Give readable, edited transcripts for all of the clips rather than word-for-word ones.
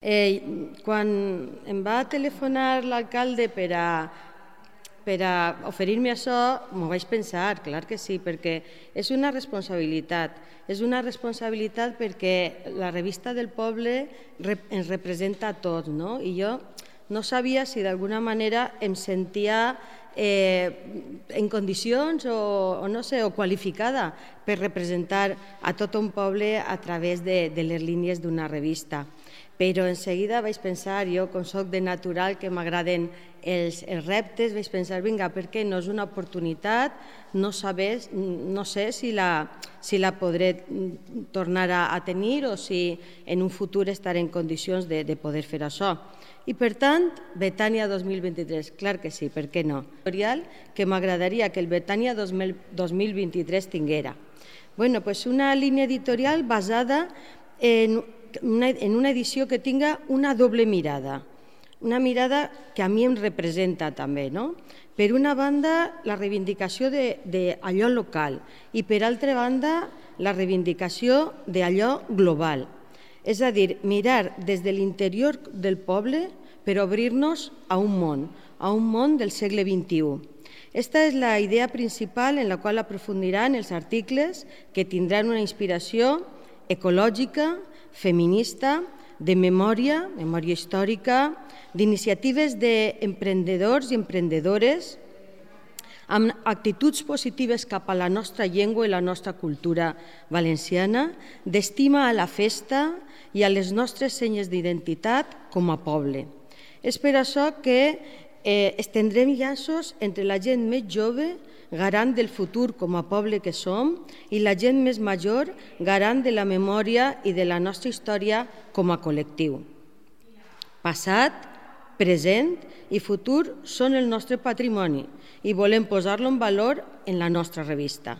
Quan em va telefonar l'alcalde per a oferir-me això, m'ho vaig pensar, clar que sí, perquè és una responsabilitat. És una responsabilitat perquè la revista del poble ens representa a tots, no? I jo no sabia si d'alguna manera em sentia en condicions o no sé, o qualificada per representar a tot un poble a través de les línies d'una revista. Però en seguida vaig pensar, jo com soc de natural que m'agraden els reptes, vaig pensar, vinga, per què no és una oportunitat, no sé si la podré tornar a tenir o si en un futur estaré en condicions de poder fer això. I per tant, Betània 2023, clar que sí, per què no? Que m'agradaria que el Betània 2023 tinguera. Bueno, doncs una línia editorial basada en una edició que tinga una doble mirada, una mirada que a mi em representa també, no? Per una banda, la reivindicació d'allò local i per altra banda, la reivindicació d'allò global. És a dir, mirar des de l'interior del poble per obrir-nos a un món del segle XXI. Esta és la idea principal en la qual aprofundiran els articles que tindran una inspiració ecològica, feminista, de memòria històrica, d'iniciatives d'emprenedors i emprenedores, amb actituds positives cap a la nostra llengua i la nostra cultura valenciana, d'estima a la festa i a les nostres senyes d'identitat com a poble. És per això que estendrem llaços entre la gent més jove, garant del futur com a poble que som, i la gent més major, garant de la memòria i de la nostra història com a col·lectiu. Passat, present i futur són el nostre patrimoni i volem posar-lo en valor en la nostra revista.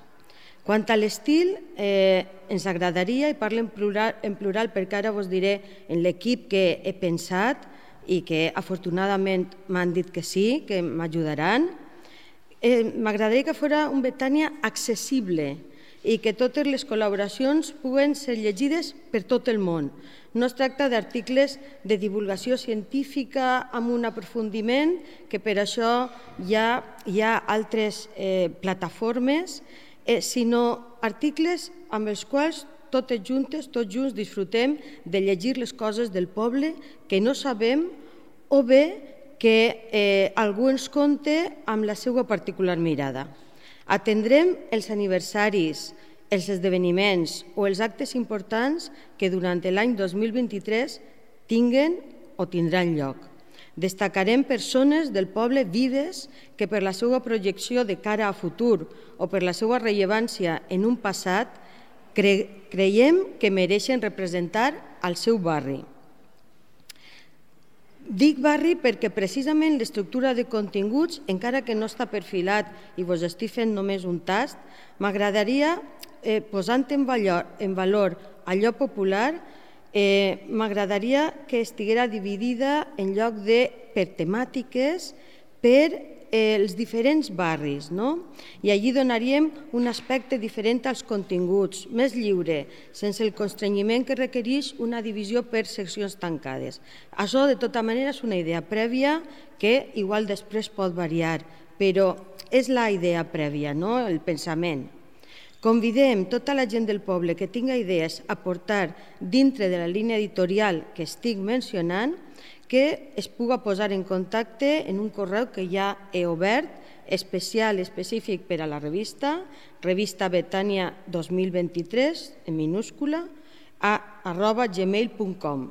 Quant a l'estil, ens agradaria, i parlo en plural perquè ara vos diré en l'equip que he pensat i que afortunadament m'han dit que sí, que m'ajudaran, m'agradaria que fos un Betània accessible i que totes les col·laboracions puguen ser llegides per tot el món. No es tracta d'articles de divulgació científica amb un aprofundiment, que per això hi ha altres plataformes, sinó articles amb els quals tots junts disfrutem de llegir les coses del poble que no sabem o bé que algú ens conte amb la seva particular mirada. Atendrem els aniversaris, els esdeveniments o els actes importants que durant l'any 2023 tinguen o tindran lloc. Destacarem persones del poble vives que per la seva projecció de cara a futur o per la seva rellevància en un passat creiem que mereixen representar el seu barri. Dic barri perquè precisament l'estructura de continguts, encara que no està perfilat i vos estic fent només un tast, m'agradaria, posant en valor allò popular, m'agradaria que estiguera dividida en lloc de per temàtiques, per els diferents barris, no? I allí donaríem un aspecte diferent als continguts, més lliure, sense el constrenyiment que requereix una divisió per seccions tancades. Això, de tota manera, és una idea prèvia que igual després pot variar, però és la idea prèvia, no? El pensament. Convidem tota la gent del poble que tinga idees a portar dintre de la línia editorial que estic mencionant, que es pugui posar en contacte en un correu que ja he obert, específic per a la revista, revista Betània 2023, en minúscula, @gmail.com.